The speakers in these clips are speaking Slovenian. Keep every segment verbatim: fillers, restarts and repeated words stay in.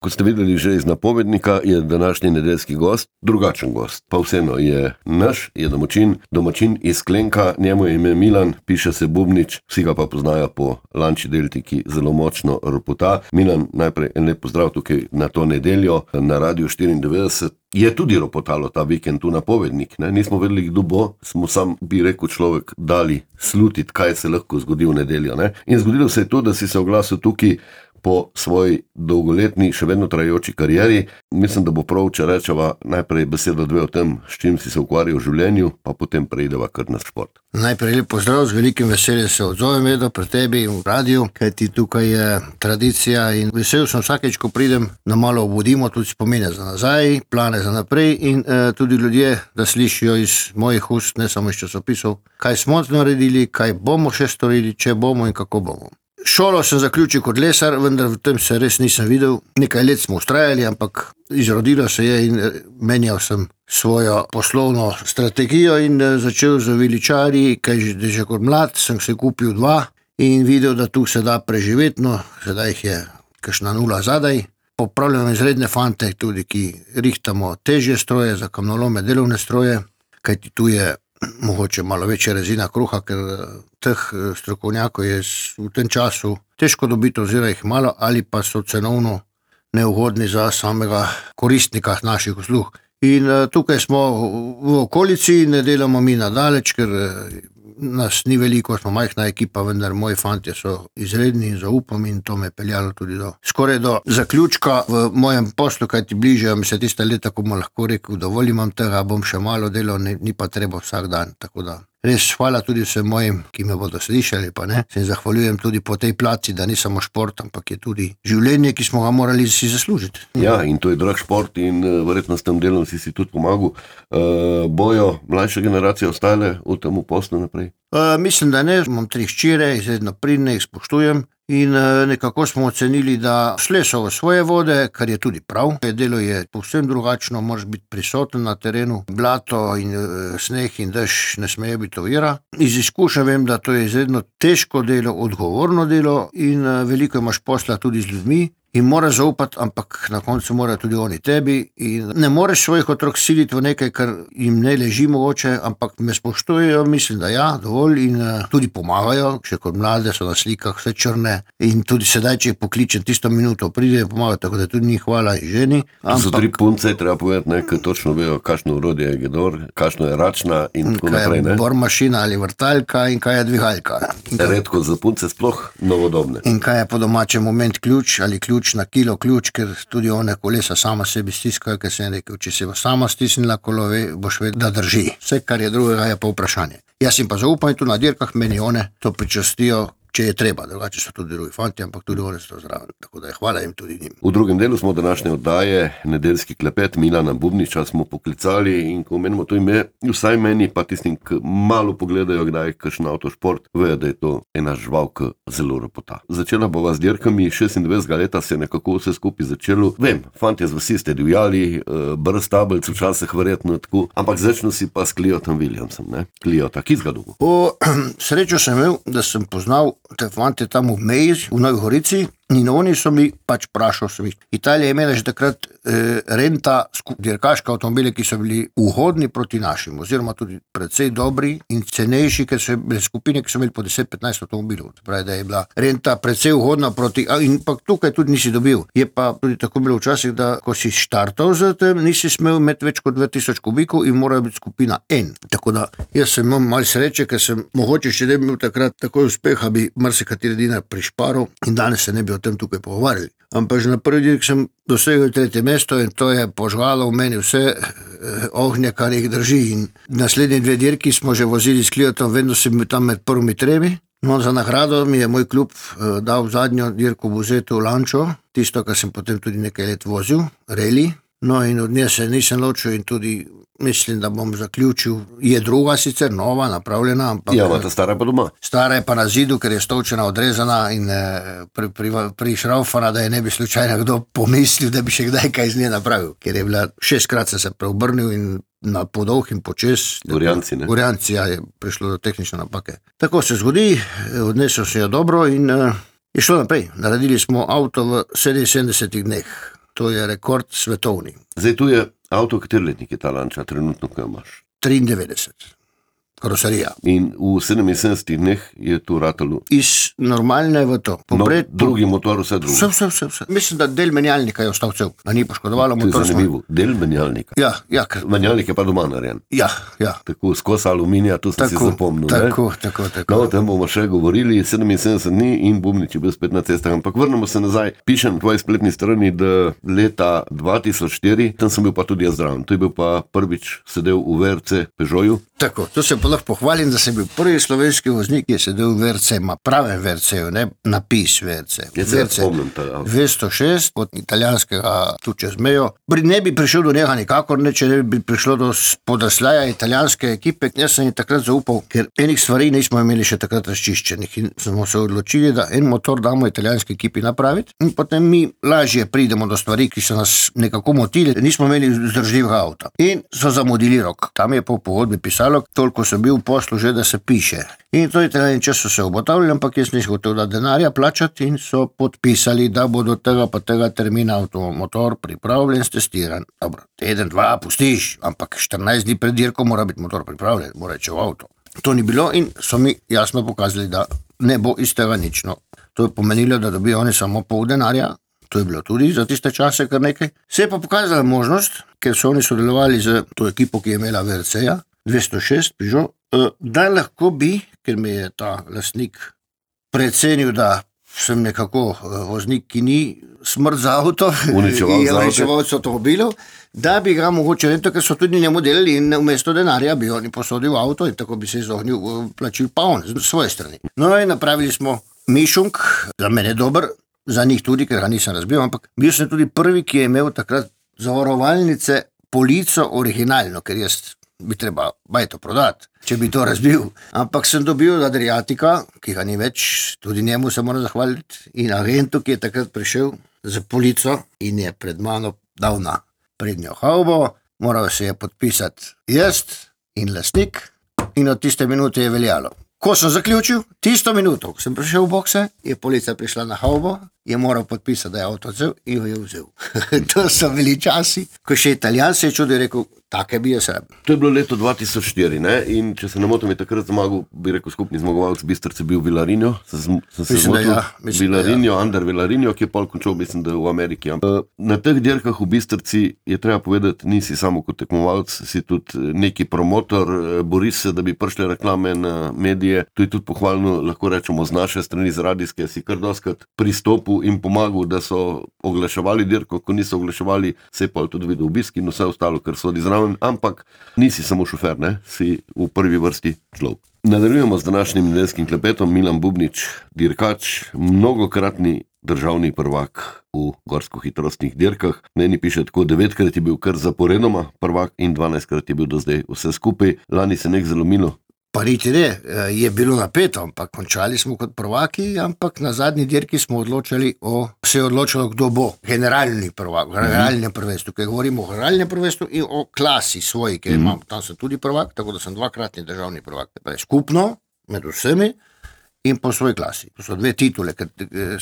Kot ste videli že iz napovednika, je današnji nedeljski gost drugačen gost. Pa vseeno je naš, je domačin, domačin iz Klenka, njemu je ime Milan, piše se Bubnič, vsi ga pa poznajo po Lanči Delti, ki zelo močno ropota. Milan, najprej en lep pozdrav tukaj na to nedeljo na Radiu štiriindevetdeset. Je tudi ropotalo ta vikend tu napovednik, ne? Nismo vedeli, kdo bo, smo sam, bi rekel človek, dali slutiti, kaj se lahko zgodi v nedeljo. Ne? In zgodilo se je to, da si se oglasil tukaj po svoji dolgoletni, še vedno trajajoči karieri. Mislim, da bo prav, če rečeva najprej besedo dve o tem, s čim si se ukvarjal v življenju, pa potem preideva kar na šport. Najprej lep pozdrav, z velikim veseljem se odzovem Edo pri tebi v radiju, kajti tukaj je tradicija in vesel sem vsakeč, ko pridem, da malo obudimo tudi spomine za nazaj, plane za naprej in eh, tudi ljudje, da slišijo iz mojih ust, ne samo iz časopisov, kaj smo naredili, kaj bomo še storili, če bomo in kako bomo. Šolo sem zaključil kot lesar, vendar v tem se res nisem videl. Nekaj let smo ustrajali, ampak izrodilo se je in menjal sem svojo poslovno strategijo in začel z viličarji, kaj že, že kot mlad sem se kupil dva in videl, da tu se da preživeti, no, sedaj jih je kakšna nula zadaj. Popravljam izredne fante tudi, ki rihtamo težje stroje, za kamnolome delovne stroje, kajti tu je mogoče malo večja rezina kruha, ker teh strokovnjakov je v tem času težko dobiti oziroma jih malo ali pa so cenovno neugodni za samega koristnika naših uslug. In tukaj smo v okolici, ne delamo mi nadaleč, ker nas ni veliko, smo majhna ekipa, vendar moji fantje so izredni in zaupam in to me je peljalo tudi do skoraj do zaključka v mojem poslu, kajti bližajo mi se tiste leta, ko bom lahko rekel, dovolj imam tega, bom še malo delal, ni, ni pa treba vsak dan, tako da res hvala tudi vsem mojim, ki me bodo slišali, pa ne, se zahvaljujem tudi po tej placi, da ni samo šport, ampak je tudi življenje, ki smo ga morali si zaslužiti. Ja, in to je drag šport in uh, verjetno s tem delom si si tudi pomagal. Uh, bojo mlajše generacije ostale v tem poslu naprej? Uh, mislim, da ne, imam tri hčere, izredno pridne, jih spoštujem in uh, nekako smo ocenili, da šle so v svoje vode, kar je tudi prav. Delo je povsem drugačno, moraš biti prisoten na terenu, blato in uh, sneh in dež ne smejo biti ovira. Iz izkušnja vem, da to je izredno težko delo, odgovorno delo in uh, veliko imaš posla tudi z ljudmi. In moraš zaupati, ampak na koncu morajo tudi oni tebi in ne moreš svojih otrok siliti v nekaj, kar jim ne leži mogoče, ampak me spoštujejo, mislim, da ja, dovolj in uh, tudi pomagajo, še kot mlade so na slikah vse črne in tudi sedaj, če jih pokličem tisto minuto, pride in pomagajo, tako da tudi njih hvala in ženi. Ampak, so tri punce, treba povedati, ne, ker točno vejo, kakšno urodje je gedor, kakšno je račna in tako naprej. Kaj je bormašina ali vrtalka in kaj je dvigalka. Redko za punce sploh novodobne. In kaj je po domačem moment ključ ali ključ na kilo ključ, ker tudi one kolesa sama sebi stiskajo, ker sem rekel, če se bo sama stisnila kolo, boš vedel, da drži. Vse, kar je drugega, je pa vprašanje. Jaz jim pa zaupam tu na dirkah, meni one to pričastijo, če je treba, drugače so tudi drugi fanti, ampak tudi oni so zraven, tako da je hvala jim tudi njim. V drugem delu smo današnje oddaje, nedeljski klepet Milana Bubniča smo poklicali in ko menimo to ime, vsaj meni pa tistim, ki malo pogledajo, kdaj kakšen avtošport, vejo, da je to ena žival, ki zelo ropota. Začela bova z dirkami, šestindvajsetega leta se je nekako vse skupaj začelo. Vem, fantje z vasi ste divjali, brez tabelc, včasih verjetno tako, ampak začnu si pa s Cliotom Williamsom, ne? Cliota, ki zgadugo. O, srečo sem imel, da sem poznal te fante tam v Meji, v Novi Gorici in oni so mi pač prašal sem jih. Italija je imela že takrat eh, renta dirkaške avtomobile, ki so bili uhodni proti našim, oziroma tudi precej dobri in cenejši, ker so bile skupine, ki so imeli po deset do petnajst avtomobilov. Pravi, da je bila renta precej uhodna proti, in pa tukaj tudi nisi dobil. Je pa tudi tako bilo včasih, da ko si štartal za tem, nisi smel imeti več kot dva tisoč kubikov in mora biti skupina N. Tako da jaz sem imel malo sreče, ker sem mogoče še ne bi imel takrat takoj uspeha, bi marsikateri dinar prišparil in danes se ne bi o tem tukaj pogovarjali. Ampak že na prvi dirk sem dosegel tretje mesto in to je požgalo v meni vse eh, ognje, kar jih drži. In naslednji dve dirki smo že vozili s Cliotom, vedno sem bil tam med prvimi tremi. No, za nagrado mi je moj klub eh, dal zadnjo dirko v Buzetu Lančo, tisto, kar sem potem tudi nekaj let vozil, reli. No in od nje se nisem ločil in tudi mislim, da bom zaključil. Je druga sicer, nova, napravljena, ampak... Ja, ta stara pa doma. Stara je pa na zidu, ker je stolčena odrezana in pri, pri, prišraufana, da je ne bi slučajno kdo pomislil, da bi še kdaj kaj z nje napravil. Ker je bila šestkrat se se preobrnil in na podolh in počes. Gorjanci, ne? Gorjanci, ja, je prišlo do tehnične napake. Tako se zgodi, odnesel se jo dobro in uh, je šlo naprej. Naredili smo avto v sedeminsedemdesetih dneh. To je rekord svetovni. Zdaj tu je avto, kateri letnik je ta Lancia, trenutno, ko imaš? triindevetdeset. Karoserija. In v sedeminsedemdesetih dneh je tu ratalo. Iz normalne v to. Popred, no, drugi motor, vse drugo. Vse, vse, vse, vse. Mislim, da del menjalnika je ostal cel, da ni poškodovalo motor. To je zanimivo. Smo... Del menjalnika. Ja, ja. Ker... Menjalnik je pa doma narejen. Ja, ja. Tako skos aluminija, to sem tako, si zapomnil. Tako, ne? tako, tako. No, o tem bomo še govorili, sedeminsedemdeset dni in Bubnič je bil spet na cestah. Ampak vrnemo se nazaj. Pišem na tvoji spletni strani, da leta dva tisoč štiri, tam sem bil pa tudi jaz zraven. To je bil pa prvič sedel v V R C Peugeotu. Tako, to se pa lahko pohvalim, da sem bil prvi slovenski voznik, ki je sedel v V R C, ima pravem V R C-ju, ne napis V R C. Je se spomnim to, ja. dvesto šest od italijanskega tu čez mejo. Ne bi prišel do njega nikakor, ne, če ne bi prišlo do podrasljaja italijanske ekipe. Jaz sem jim takrat zaupal, ker enih stvari nismo imeli še takrat razčiščenih in smo se odločili, da en motor damo italijanski ekipi napraviti in potem mi lažje pridemo do stvari, ki so nas nekako motili. Nismo imeli vzdržljivega avta in so zamudili rok. Tam je po pogodbi pisalo, toliko sem bil v poslu že, da se piše. In to italijani čas so se obotavljali, ampak jaz nisem hotel da denarja plačati in so podpisali, da bo do tega pa tega termina avtomotor pripravljen, testiran. Dobro, teden, dva pustiš, ampak štirinajst dni pred dirko mora biti motor pripravljen, mora reči v avto. To ni bilo in so mi jasno pokazali, da ne bo iz tega nič. No, to je pomenilo, da dobijo oni samo pol denarja. To je bilo tudi za tiste čase kar nekaj. Se je pa pokazala možnost, ker so oni sodelovali z to ekipo, ki je imela V R C-ja, dvesto šest Peugeot, da lahko bi, ker me je ta lastnik precenil, da sem nekako voznik, ki ni smrt za avto, uničevalc avtomobilov, da bi ga mogoče ne, ker so tudi njemu delali in vmesto denarja bi oni posodil avto in tako bi se izognil plačil pa on z svoje strani. No in napravili smo mišunk, za mene dober, za njih tudi, ker ga nisem razbil, ampak bil sem tudi prvi, ki je imel takrat zavarovalnice polico originalno, ker jaz bi treba bajto prodati, če bi to razbil. Ampak sem dobil od Adriatika, ki ga ni več, tudi njemu se moram zahvaliti, in agentu, ki je takrat prišel z polico in je pred mano dal na prednjo havbo, moral se je podpisati jaz in lastnik in od tiste minute je veljalo. Ko sem zaključil, tisto minuto, ko sem prišel v bokse, je policija prišla na havbo, je moral podpisati, da je avto vzel in jo je vzel. To so bili časi, ko še Italijan se je čudil in rekel, take bi jaz rabil. To je bilo leto dva tisoč štiri, ne? In če se ne motim, je takrat zmagal, bi rekel, skupni zmagovalec Bistrce bil Villarinho. Sem se mislim, zmotil, ja, mislim, Villarinho, ja. Ander Villarinho, ki je pol končal, mislim, da v Ameriki. Na teh dirkah v Bistrci je treba povedati, nisi samo kot tekmovalec, si tudi neki promotor, boriš se, da bi prišle reklame na medije. To je tudi pohvalno, lahko rečemo, z naše strani, z radijske, si kar doskrat pristopil in pomagal, da so oglaševali dirko, ko niso oglaševali, se je pa tudi videl obisk in vse ostalo, kar sodi zraven, ampak nisi samo šofer, ne? Si v prvi vrsti človek. Nadaljujemo z današnjim nedeljskim klepetom. Milan Bubnič, dirkač, mnogokratni državni prvak v gorsko-hitrostnih dirkah. Meni piše tako, devetkrat je bil kar zaporedoma prvak in dvanajstkrat je bil do zdaj vse skupaj. Lani se nek zalomilo. Pa niti ne, je bilo napeto, ampak končali smo kot prvaki, ampak na zadnji dirki smo odločili o, se je odločilo, kdo bo generalni prvak, generalnem prvenstvu, ker govorimo o generalnem prvenstvu in o klasi svoji, ker imam, tam sem tudi prvak, tako da sem dvakratni državni prvak. Skupno, med vsemi in po svoji klasi. To so dve titule, ker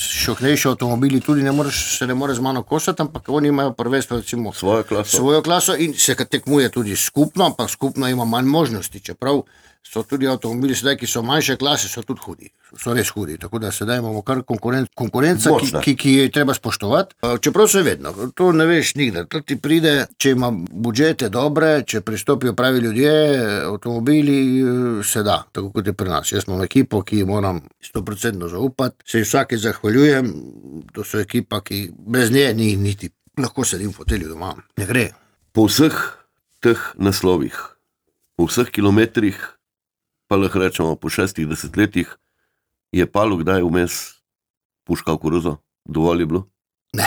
šohnejši avtomobili tudi ne moreš, se ne more z mano kosati, ampak oni imajo prvenstvo, recimo, svojo klaso. svojo klaso in se tekmuje tudi skupno, ampak skupno ima manj možnosti, čeprav so tudi avtomobili sedaj, ki so manjše klase, so tudi hudi, so res hudi, tako da sedaj imamo kar konkurenc, konkurenca, ki, ki, ki je treba spoštovati. Čeprav se vedno, to ne veš nikdar, to ti pride, če ima budžete dobre, če pristopijo pravi ljudje, avtomobili, se da, tako kot je pri nas. Jaz imam ekipo, ki moram sto procentno zaupati, se vsake zahvaljujem, to so ekipa, ki brez nje ni niti, lahko sedim v fotelju doma, ne gre. Po vseh teh naslovih, po vseh kilometrih, pa lahko rečemo po šestih desetletjih, je Palu kdaj vmes puškal koruzo? Dovolj je bilo? Ne.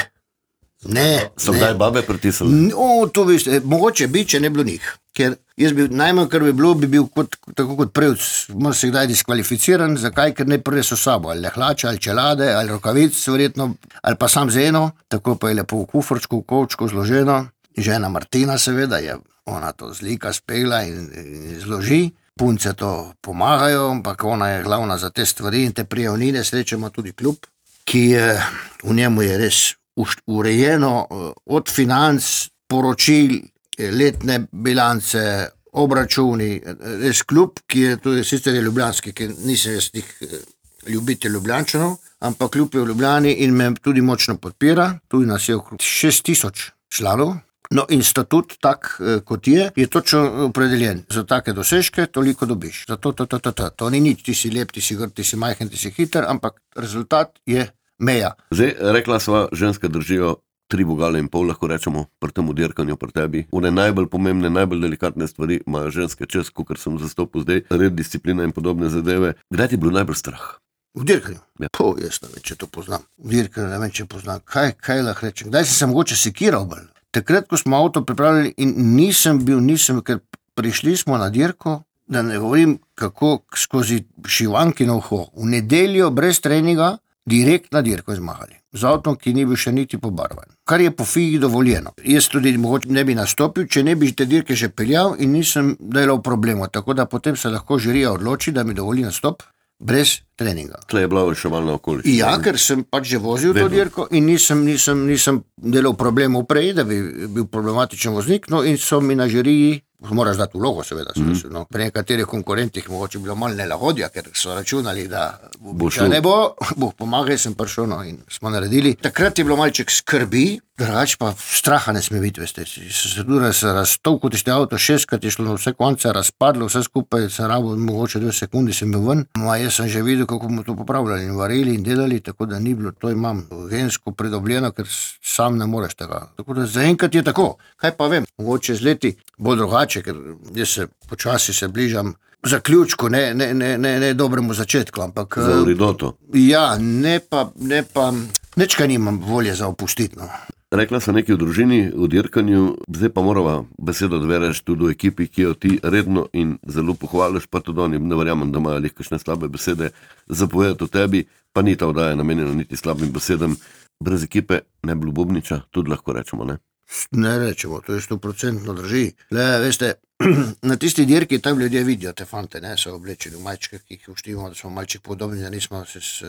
Ne. So kdaj babe pritisnili? No, to veste, mogoče bi, če ne bilo njih. Ker jaz bi, najmanj, kar bi bilo, bi bil kot, tako kot prevc, mora se kdaj diskvalificiran, zakaj, ker ne prve so sabo, ali hlače, ali čelade, ali rokavic, verjetno, ali pa sam z eno, tako pa je lepo v kufrčku, v kovčku zloženo. Žena Martina seveda je, ona to zlika, spela in, in zloži. Punce to pomagajo, ampak ona je glavna za te stvari in te prijavnine. Srečemo tudi klub, ki je, v njemu je res urejeno od financ, poročil, letne bilance, obračuni, res klub, ki je tudi sicer je ljubljanski, ki nisem jaz tih ljubitelj Ljubljančanov, ampak klub je v Ljubljani in me tudi močno podpira, tudi nas je okrog šest tisoč članov. No in statut tak, kot je, je točno opredeljen. Za take dosežke toliko dobiš. Zato to, to, to, to. To ni nič, ti si lep, ti si grd, ti si majhen, ti si hiter, ampak rezultat je meja. Zdaj, rekla sva, ženske držijo tri vogale in pol, lahko rečemo, pri tem dirkanju pri tebi. One najbolj pomembne, najbolj delikatne stvari imajo ženske čez, kakor sem zastopil zdaj, red, disciplina in podobne zadeve. Kdaj ti je bilo najbolj strah? V dirkanju? Ja. Po, jaz ne vem, če to poznam. V dirkanju ne vem, če poznam. Kaj, kaj lahko rečem? Kdaj si se mogoče sekiral bolj? Takrat, ko smo avto pripravili in nisem bil, nisem, ker prišli smo na dirko, da ne govorim, kako skozi šivankino uho. V nedeljo brez treninga direkt na dirko izmahali. Z avtom, ki ni bil še niti pobarvan. Kar je po figi dovoljeno. Jaz tudi mogoče ne bi nastopil, če ne bi te dirke že peljal in nisem delal problemov. Tako da potem se lahko žirija odloči, da mi dovoli nastop brez treninga. Tle je bila reševalna okoliščina. Ja, ker sem pač že vozil to dirko in nisem, nisem, nisem delal problemov prej, da bi bil problematičen voznik, no in so mi na žiriji, moraš dati vlogo seveda, mm. no, pri nekaterih konkurentih mogoče bilo malo nelagodja, ker so računali, da bo ne bo, boh pomagaj, sem prišel, no in smo naredili. Takrat je bilo malček skrbi, drugač pa straha ne sme biti, veste, se tudi se raztovko, tište avto šestkrat je šlo na vse konce, razpadlo, vse skupaj, se rabo, mogoče dve sekundi sem bil ven, ma jaz sem že videl, kako bomo to popravljali in varili in delali, tako da ni bilo, to imam gensko pridobljeno, ker sam ne moreš tega. Tako da zaenkrat je tako, kaj pa vem, mogoče z leti bo drugače, ker jaz se počasi se bližam zaključku, ne, ne, ne, ne, ne dobremu začetku, ampak... Za uridoto. Ja, ne pa, ne pa, nečkaj nimam volje za opustiti, no. Rekla sem nekaj v družini, v dirkanju, zdaj pa morava besedo dvereš tudi v ekipi, ki jo ti redno in zelo pohvališ, pa tudi oni, ne verjamem, da imajo lih kakšne slabe besede zapovedati o tebi, pa ni ta oddaja namenjena niti slabim besedam. Brez ekipe ne bi bilo Bubniča, tudi lahko rečemo, ne? Ne rečemo, to je sto procentno drži. Le, veste, na tisti dirki tam ljudje vidijo te fante, ne, so oblečeni v majčkah, ki jih uštimo, da smo malček podobni, da nismo se s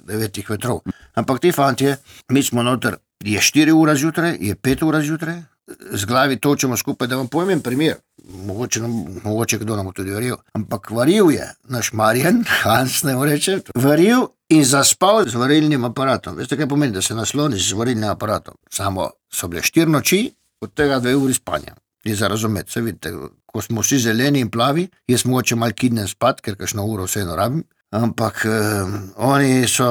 devetih vetrov. Ampak ti fantje, mi smo noter, je štiri ura zjutraj, je pet ura zjutraj, z glavi točemo skupaj, da vam povem primer, mogoče, mogoče kdo nam tudi varil, ampak varil je naš Marjan, Hans ne reče, varil in zaspal z varilnim aparatom. Veste, kaj pomeni, da se nasloniš z varilnim aparatom? Samo so bile štiri noči, od tega dve uri spanja. Je za razumeti, se vidite, ko smo vsi zeleni in plavi, jaz mogoče mal kidnem spat, ker kakšno uro vseeno rabim, ampak eh, oni so,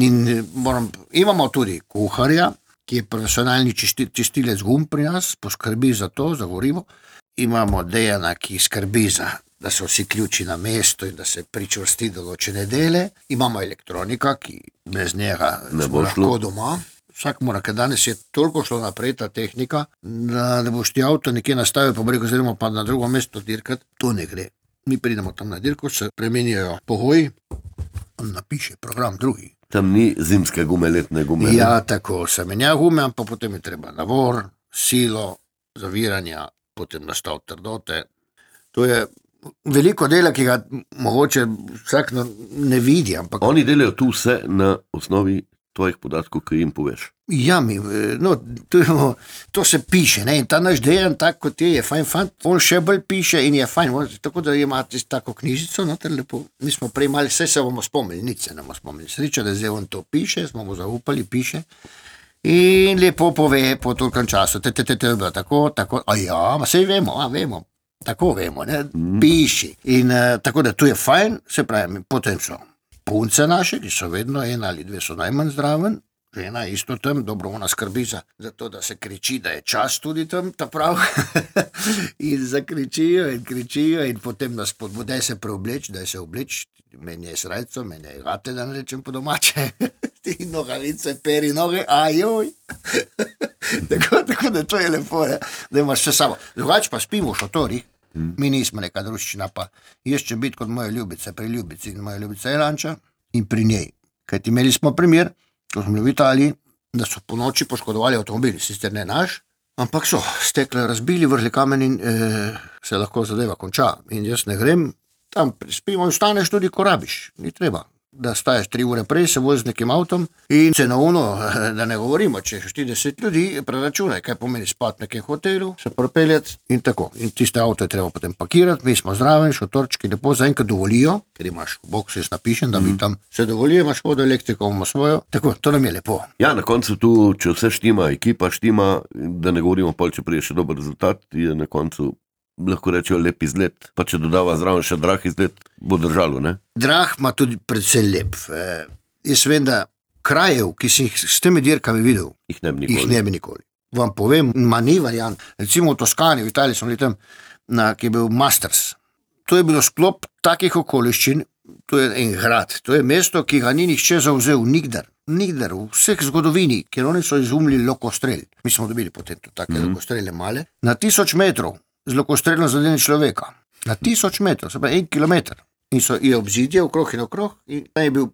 in moram, imamo tudi kuharja, ki je profesionalni čistilec gum pri nas, poskrbi za to, za gorivo. Imamo Dejana, ki skrbi za, da so vsi ključi na mesto in da se pričvrsti določene dele. Imamo elektronika, ki bez njega smo lahko doma. Vsak mora, ker danes je toliko šlo naprej ta tehnika, da ne boš ti avto nekje nastavil, pa breko zremo pa na drugo mesto dirkat, to ne gre. Mi pridemo tam na dirko, se premenjajo pogoji, on napiše program drugi. Tam ni zimske gume, letne gume. Ja, tako, se menja gume, ampak potem je treba navor, silo, zaviranja, potem nastav trdote. To je veliko dela, ki ga mogoče vsak ne vidi, ampak... Oni delajo tu vse na osnovi tvojih podatkov, ki jim poveš. Ja, mi, no, to, to se piše, ne, in ta naš Dejan, tak kot je, je fajn fant, on še bolj piše in je fajn, tako da imate tako knjižico, no, ter lepo, mi smo prej mali, vse se bomo spomnili, nič se ne bomo spomnili, sreča, da zdaj on to piše, smo mu zaupali, piše, in lepo pove po tolkem času, te, te, te, te, tako, tako, a ja, ma sej vemo, a vemo, tako vemo, ne, mm. piši, in uh, tako da tu je fajn, se pravi, potem so punce naše, ki so vedno ena ali dve so najmanj zdraven, žena isto tam, dobro ona skrbi za, za to, da se kriči, da je čas tudi tam, ta prav, in zakričijo in kričijo in potem nas podbude, daj se preobleč, daj se obleč, meni je srajco, meni je gate, da ne rečem po domače, ti nogavice, peri noge, ajoj, tako, tako da to je lepo, ne? Da imaš vse samo. Drugač pa spimo v šotorih, mi nismo neka druščina, pa jaz če biti kot moja ljubica, pri ljubici in moja ljubica je Lanča in pri njej. Kajti imeli smo primer, ko smo bili v Italiji, da so po noči poškodovali avtomobili, sicer ne naš, ampak so stekle, razbili, vrli kamen in eh, se lahko zadeva konča. In jaz ne grem, tam spimo in staneš tudi, ko rabiš, ni treba. da staješ tri ure prej, se voziš z nekim avtom in cenovno, da ne govorimo, če je štirideset ljudi, preračunaj, kaj pomeni spati v nekem hotelu, se propeljati in tako. In tiste avto je treba potem pakirati, mi smo zraven, šotorčki, lepo zaenkrat dovolijo, ker imaš v boksu jaz napišem, da mi mm. tam se dovolijo, imaš vodo, elektriko, imamo svojo, tako, to nam je lepo. Ja, na koncu tu, če vse štima, ekipa štima, da ne govorimo pol, če prije še dober rezultat, je na koncu lahko rečejo lep izgled, pa če dodava zraven še drag izgled, bo držalo, ne? Drag ima tudi predvsem lep. E, jaz vem, da krajev, ki si jih s temi dirkami videl, jih ne bi nikoli. Jih ne bi nikoli. Vam povem, ma ni variant. Recimo v Toskani, v Italiji smo bili tam, na, ki je bil Masters. To je bilo sklop takih okoliščin, to je en grad, to je mesto, ki ga ni nihče zavzel nikdar. Nikdar, v vseh zgodovini, ker oni so izumili lokostrel. Mi smo dobili potem to take mm-hmm. lokostrele male. Na tisoč metrov z lokostrelom zadene človeka. Na tisoč metrov, se pravi en kilometer. In so je obzidje okrog in okrog in je bil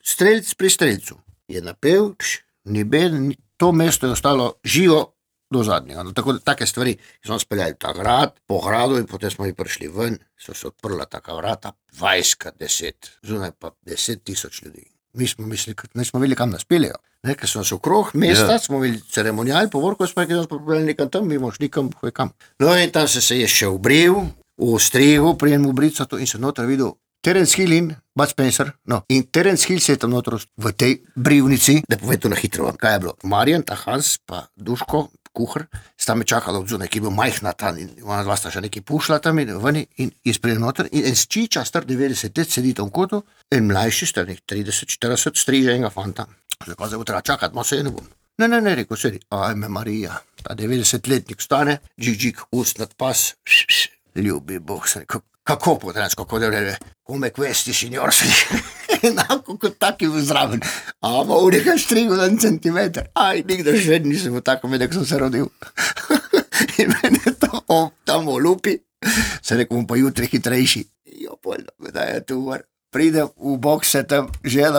strelc pri strelcu. Je napel, pš, ni bed, to mesto je ostalo živo do zadnjega. No, tako, take stvari, ki smo speljali ta grad, po gradu in potem smo ji prišli ven, so se odprla taka vrata, dvajset, deset, zunaj pa deset tisoč ljudi. Mi smo mislili, ne smo videli, kam nas peljejo. Ker smo se okrog mesta, yeah. smo videli ceremonijal, povorko smo nekaj popravili nekam tam, mi moš nikam, hoj kam. No in tam se se je še obril, v ostregu, prijem v brico in se noter videl Terence Hill in Bud Spencer. No, in Terence Hill se je tam noter v tej brivnici, da povem to na hitro, kaj je bilo. Marjan, ta Hans, pa Duško, kuhar, sta me čakala od zunaj, ki je bil majhna tam in ona dva sta še nekaj pušla tam in vani in je sprejel noter in en sčiča star devetdeset let sedi tam v kotu, en mlajši star trideset štirideset striže enega fanta. Zakaj zdaj bo treba čakati, malo se je ne bom. Ne, ne, ne, rekel sedi, ajme Marija, ta devetdesetletnik stane, džik, džik, ust nad pas, š, š, ljubi Bog, se rekel, kako potrensko, kako da vrede, come questi signor, se enako kot taki v zraven, ama v nekaj strigu na en centimeter, aj, nikdar še nisem v tako medek, sem se rodil. In meni je to o, tam v lupi, se rekel, bom pa jutri hitrejši, jo, poljno, da je tu var. Pridem v bokse tam, žena,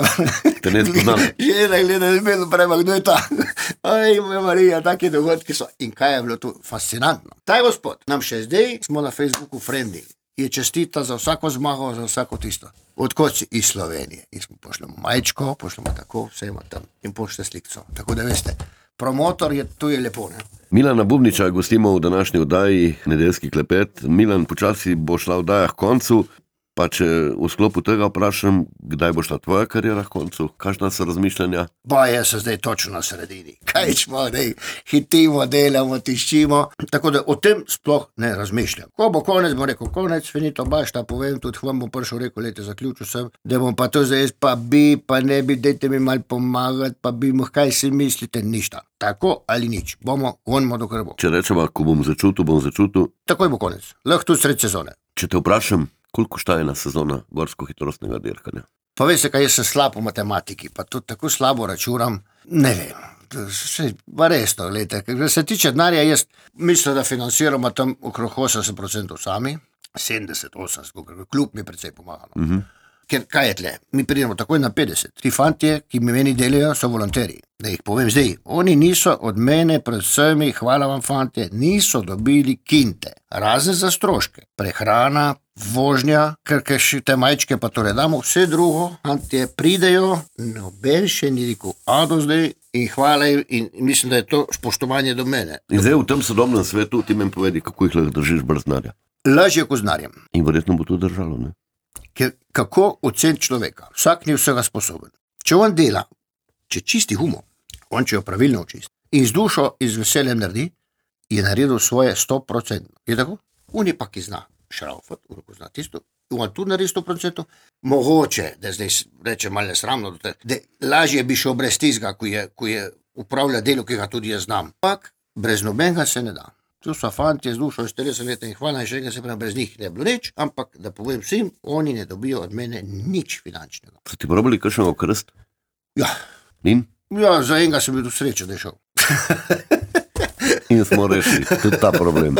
te ne spoznam. Žena gleda zmedo prema, kdo je ta? Aj, moja Marija, take dogodki so. In kaj je bilo tu fascinantno? Taj gospod, nam še zdaj smo na Facebooku frendi, je čestita za vsako zmago, za vsako tisto. Odkot si iz Slovenije. In smo pošljamo majčko, pošljamo tako, vse ima tam in pošljate slikco. Tako da veste, promotor je, tu je lepo, ne? Milana Bubniča gostimo v današnji oddaji Nedeljski klepet. Milan, počasi bo šla oddaja k koncu. Pa če v sklopu tega vprašam, kdaj bo šla tvoja karijera v koncu? Kakšna so razmišljanja? Ba, jaz sem zdaj točno na sredini. Kaj smo, ne, hitimo, delamo, tiščimo. Tako da o tem sploh ne razmišljam. Ko bo konec, bo rekel konec, finito bašta, povem, tudi vam bom prišel, rekel, lete, zaključil sem, da bom pa to zdaj, pa bi, pa ne bi, dajte mi mal pomagati, pa bi mu, kaj si mislite, ništa. Tako ali nič. Bomo, gonimo do krbo. Če rečemo, ko bom začutil, bom začutil. Takoj bo konec. Lahko tudi sred sezone. Če te vprašam, koliko šta ena sezona gorsko-hitrostnega dirkanja? Pa veste, kaj jaz sem slab v matematiki, pa tudi tako slabo računam, ne vem. Vse, pa resno, gledajte, ker se tiče denarja, jaz mislim, da financiramo tam okrog osemdeset procentov sami, sedemdeset, osemdeset, klub mi precej pomaga. No. Uh-huh. Ker kaj je tle? Mi pridemo takoj na petdeset. Ti fantje, ki mi meni delajo, so volonteri. Da jih povem zdaj, oni niso od mene, predvsem, hvala vam fantje, niso dobili kinte, razen za stroške. Prehrana, vožnja, ker še te majčke pa tole damo, vse drugo, fantje pridejo, noben še ni rekel, a do zdaj in hvala in mislim, da je to spoštovanje do mene. In zdaj v tem sodobnem svetu ti meni povedi, kako jih lahko držiš brez denarja. Lažje kot z denarjem. In verjetno bo to držalo, ne? Ker kako ocen človeka? Vsak ni vsega sposoben. Če on dela, če čisti humo, on če jo pravilno očisti in z dušo in z veseljem naredi, je naredil svoje sto procentno. Je tako? On je pa, ki zna šraufat, on ko zna tisto, on tudi naredi sto procentno, mogoče, da zdaj reče malo nesramno, da lažje bi šel brez tizga, ko je, ko je upravlja delo, ki ga tudi jaz znam. Pak brez nobenega se ne da. Tu so fantje z dušo iz trideset let in hvala in še enkrat se pravi, brez njih ne bilo nič, ampak da povem vsem, oni ne dobijo od mene nič finančnega. So ti probali kakšnega krst? Ja. In? Ja, za enega sem bil srečen, da je šel. In smo rešili tudi ta problem.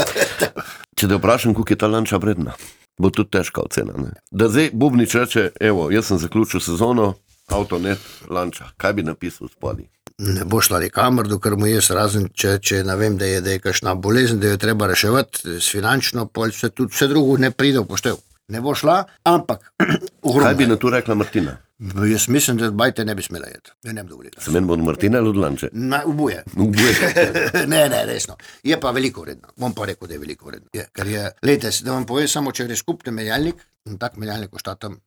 Če te vprašam, koliko je ta lanča vredna, bo tudi težka ocena, ne? Da zdaj Bubnič reče, evo, jaz sem zaključil sezono, avto net, lanča, kaj bi napisal spodaj? Ne bo šla nikamor, dokler mu jaz razen, če, če ne vem, da je, da je kakšna bolezen, da jo treba reševati s finančno, pol vse, tudi vse drugo ne pride v poštev. ne bo šla, ampak ogromno. Kaj bi na to rekla Martina? Jaz mislim, da bajte ne bi smela jeti. Ja, ne bi dovolila. Se meni bo Martina ali od Lanče? Na, ubuje. Ubuje. ne, ne, resno. Je pa veliko vredno. Bom pa rekel, da je veliko vredno. Je, ker je, lejte, da vam povem samo, če gre skupni menjalnik, in tak menjalnik košta tam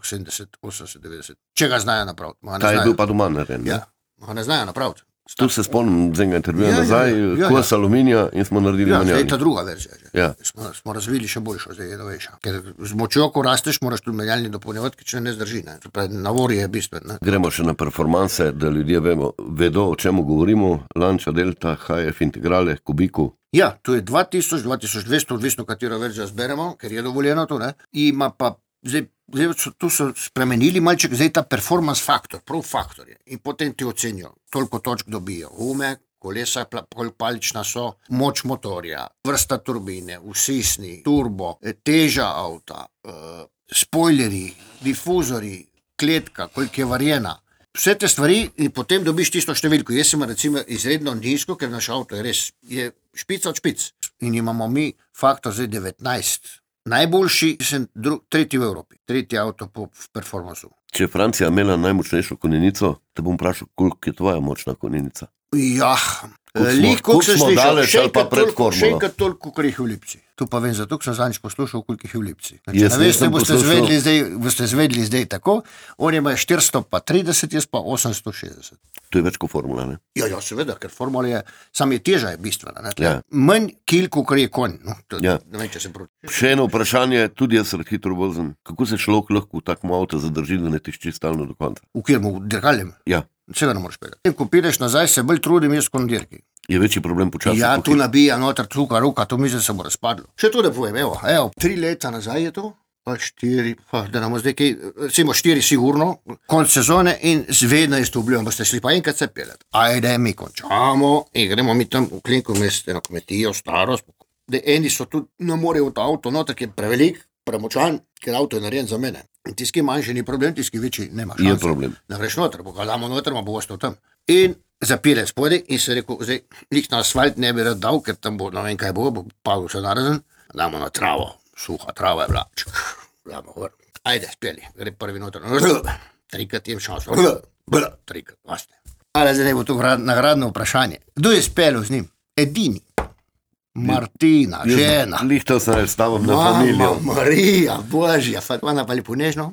sedemdeset, osemdeset, devetdeset. Če ga znajo napraviti. Ta je bil pa doma narejen. Ja, ga ne znajo napraviti. Tu se spomnim z enega intervjuja Ja, nazaj, ja, ja, kos ja. aluminija in smo naredili Ja, zdaj je menjalnik. ta druga verzija. že. Ja. Smo, smo razvili še boljšo, zdaj je novejša. Ker z močjo, ko rasteš, moraš tudi menjalnik dopolnjevati, ker če ne zdrži. Ne. To pravi, navor je bistven. Ne. Gremo še na performanse, da ljudje vemo, vedo, o čemu govorimo. Lanča, Delta, H F, Integrale, Kubiku. Ja, to je dva tisoč, dva tisoč dvesto, odvisno katero verzijo zberemo, ker je dovoljeno to. Ne. Ima pa, zdaj, zdaj so, tu so spremenili malček, zdaj ta performance faktor, prav faktor je. In potem ti ocenijo, toliko točk dobijo. Ume, kolesa, koliko palična so, moč motorja, vrsta turbine, usisni, turbo, teža avta, uh, spoileri, difuzori, kletka, koliko je varjena. Vse te stvari in potem dobiš tisto številko. Jaz sem recimo izredno nizko, ker naš avto je res, je špica od špic. In imamo mi faktor zdaj devetnajst. Najboljši sem dru, tretji v Evropi, tretji avto po performansu. Če je Francija imela najmočnejšo konjenico, te bom vprašal, koliko je tvoja močna konica. Ja, Koliko smo- lik, koliko koliko sem smo slišal, daleč še ali pa enkrat pred toliko, še formulo? enkrat toliko, kot jih v Lipci. Tu pa vem, zato sem zadnjič poslušal, koliko jih je v Lipci. Če Jaz ne veste, nisem boste poslušal. zvedli zdaj, boste zvedli zdaj tako, oni imajo štiristo pa trideset, jaz pa osemsto šestdeset. To je več kot formula, ne? Ja, ja, seveda, ker formula je, sam je teža je bistvena. Ne? Ja. Manj kil, kot je konj. No, to, Ja. Ne vem, če se prav. Še eno vprašanje, tudi jaz rad hitro vozim. Kako se človek lahko v takem avtu zadrži, da ne tišči stalno do konca? V kjer mu dirkaljem, Ja, vsega ne moreš peljati. In ko pideš nazaj, se bolj trudim jaz kot na dirki. je večji problem počasi. Ja, po tu hit- nabija noter tuka, ruka, to mislim, se bo razpadlo. Še to, da povem, evo, evo, tri leta nazaj je to, pa štiri, pa da nam zdaj kaj, recimo štiri sigurno, konc sezone in zvedno jaz to obljubim, boste šli pa enkrat se peljati. Ajde, mi končamo in gremo mi tam v Klinku mest, eno kmetijo, starost. Da eni so tudi, ne morejo v to avto noter, ker je prevelik, premočan, ker avto je narejen za mene. In tiski manjši ni problem, tiski večji nema Je šanse. problem. Ne greš noter, bo ga damo noter, ma bo ostal tam. In zapire spodaj in se rekel, zdaj, nik na asfalt ne bi rad dal, ker tam bo, ne vem kaj bo, bo padel še narazen, damo na travo, suha trava je bila, čk, damo gor. Ajde, speli, gre prvi noter, trikrat jem šanso, trikrat, vaste. Ali zdaj ne bo to grad- nagradno vprašanje. Kdo je spelil z njim? Edini. Martina, žena. Lihtal sem reč stavim na familijo. Mama, Marija, Božja, Fatvana pa lepo nežno,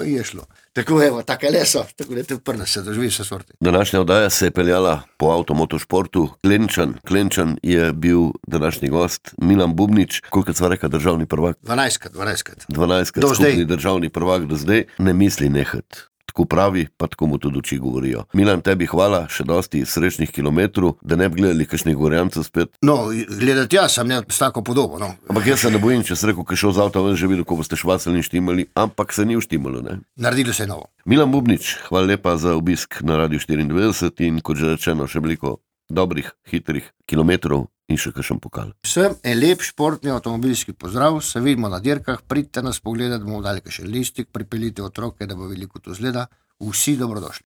je šlo. Tako evo, take leso, tako da te prna se doživi vse sorte. Današnja oddaja se je peljala po avtomotošportu. Klenčan, Klenčan je bil današnji gost, Milan Bubnič, koliko sva reka državni prvak? dvanajstkrat, dvanajstkrat. dvanajstkrat Do skupni zdaj. državni prvak do zdaj, ne misli nehat. Tako pravi, pa tako mu tudi oči govorijo. Milan, tebi hvala, še dosti srečnih kilometrov, da ne bi gledali kakšnih gorjancev spet. No, gledati jaz sem ne s tako podobo, no. Ampak jaz se ne bojim, če se rekel, ki je šel z avta, ven že videl, ko boste švacali in štimali, ampak se ni uštimalo, ne? Naredilo se je novo. Milan Bubnič, hvala lepa za obisk na Radiu štiriindevetdeset in kot že rečeno, še veliko dobrih, hitrih kilometrov in še kakšen pokal. Vsem en lep športni avtomobilski pozdrav, se vidimo na dirkah, pridite nas pogledati, bomo dali še listik, pripeljite otroke, da bo veliko to zgleda, vsi dobrodošli.